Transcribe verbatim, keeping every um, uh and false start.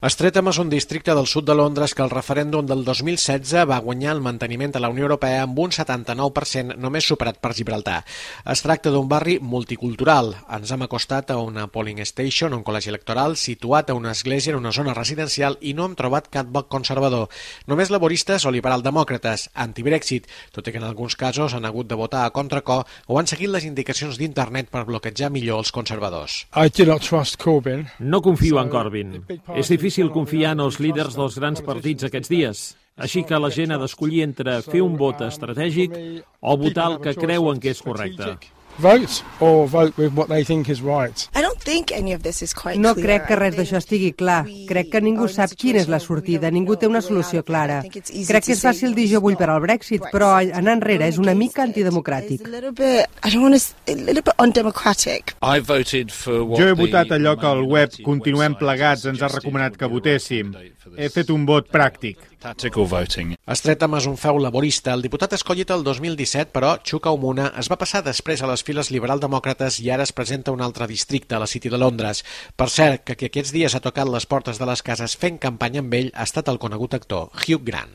Streatham és un districte del sud de Londres que el referèndum del dos mil setze va guanyar el manteniment a la Unió Europea amb un setanta-nou per cent, només superat per Gibraltar. Es tracta d'un barri multicultural. Ens hem acostat a una polling station, un col·legi electoral, situat a una església en una zona residencial i no hem trobat cap vot conservador. Només laboristes o liberal-demòcrates, anti-Brexit, tot i que en alguns casos han hagut de votar a contracor o han seguit les indicacions d'internet per bloquejar millor els conservadors. I do not trust Corbyn. No confio en Corbyn. És difícil confiar en els líders dels grans partits aquests dies. Així que la gent ha d'escollir entre fer un vot estratègic o votar el que creuen que és correcte. Vote or vote with what they think is right. I don't think any of this is quite No clear. crec que res d'això estigui clar. Crec que ningú sap quina és la sortida, ningú té una solució clara. Crec que és fàcil dir jo vull per al Brexit, però anar enrere és una mica antidemocràtic. Jo he votat allò que el web Continuem Plegats ens ha recomanat que votéssim. He fet un vot pràctic. Streatham és un feu laborista. El diputat escollit el dos mil disset, però, Chuka Umunna, es va passar després a les files liberal-demòcrates i ara es presenta a un altre districte, a la City de Londres. Per cert, que qui aquests dies ha tocat les portes de les cases fent campanya amb ell ha estat el conegut actor Hugh Grant.